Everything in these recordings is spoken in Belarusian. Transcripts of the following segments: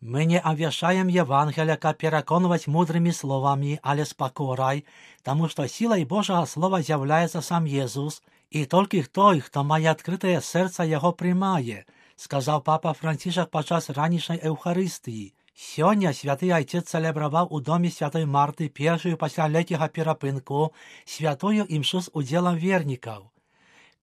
Мы не обвящаем Евангелие, как переконывать мудрыми словами, але с покорой, тому что силой Божьего Слова является сам Иисус, и только той, кто має открытое сердце, его приймає, сказав Папа Францишек подчас ранішньої Евхаристії. Сьогодні Святий Отець целебрував у домі Святої Марти першою після літнього перепинку святою імшу з уділом вірників.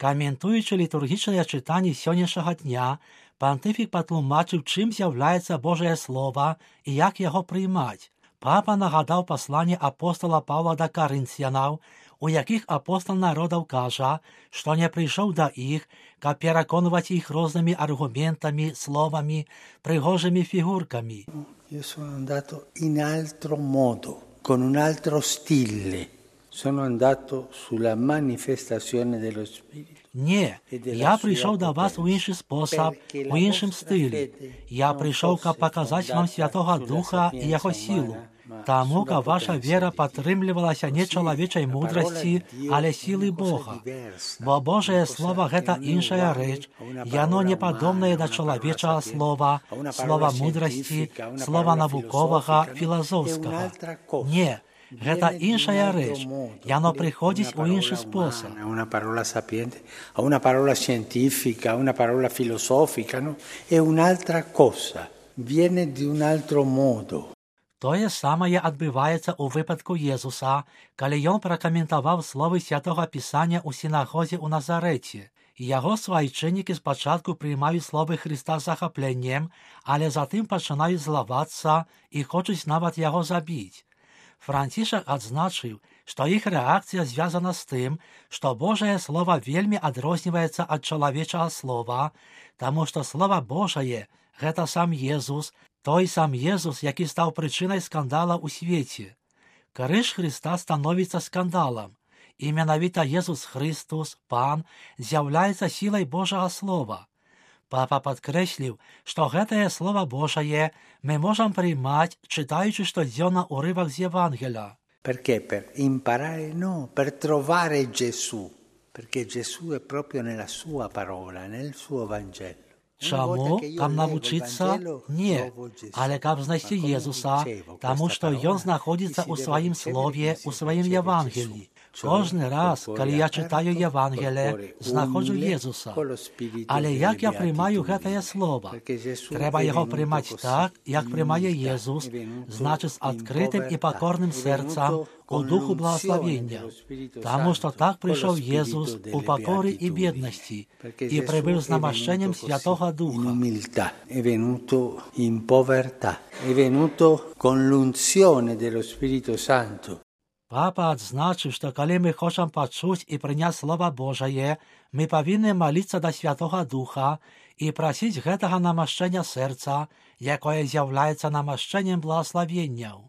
Коментуючи літургічне читання сьогоднішнього дня, понтифік потлумачив, чим з'являється Божє Слово і як його приймати. Папа нагадав послання апостола Павла до Коринфянам, у яких апостол народів каже, що не прийшов до їх, як переконувати їх різними аргументами, словами, пригожими фігурками. Io sono andato in altro modo, con un altro stile. Sono andato sulla manifestazione dello Spirito. Ні, я прийшов до вас у інший спосіб, у іншому стилі. Я прийшов, щоб показати вам Святого Духа і Його силу. Тому, як ваша віра підтримувалася не чоловічої мудрості, але сили Бога. Бо Божє Слово – це інша річ, і воно не подобне до чоловічого слова, слова мудрості, слова наукового, філософського. Ні. Гэта іншая рэч, яно прыходзіць у іншы спосаб. Una parola sapiente, a una parola scientifica, a una parola filosofica, no? È un'altra cosa, viene di un altro modo. Тое самае адбываецца ў выпадку Езуса, калі ён пракаментаваў словы Святога Пісання ў сінагозе ў Назарэце. Яго свайчыннікі спачатку приймають словы Христа з захапленнем, але затым пачынаюць злавацца і хочуць нават яго забіць. Францішак адзначыў, што іх рэакцыя звязана з тым, што Божае Слова вельмі адрозніваецца ад чалавечага слова, таму што Слова Божае – гэта сам Езус, той сам Езус, які стаў прычынай скандала ў свеце. Крыж Христа становіцца скандалам, і менавіта Езус Христос, Пан, з'яўляецца сілай Божага Слова. Папа падкрэсліў, што гэтае Слово Божае мы можам приймаць, читаючи штодзённа урывак з Євангелія. Perché? Per imparare? No, per trovare Gesù. Perché Gesù è proprio nella sua parola, nel suo Vangelo. Чаму? Каб навучыцца? Не, але каб знайсці Езуса, таму што Ён знаходзіцца ў сваім Слове, у сваім Євангелії. Кожны раз, калі я читаю Євангелие, знаходжу Єзуса. Але як я приймаю гэтае Слово? Трэба яго приймаць так, як приймае Єзус, значыць з адкрытым і пакорным сэрцам, у духу благословення. Таму што так прийшов Єзус у пакорі і беднасці і прибыв з намашченнем Святого Духа. È venuto in povertà, è venuto con l'unzione dello Spirito Santo. Папа адзначыў, што калі мы хочам пачуць і прыняць Слова Божае, мы павінны маліцца да Святога Духа і прасіць гэтага намашчэння сэрца, якое з'яўляецца намашчэннем благословенняў.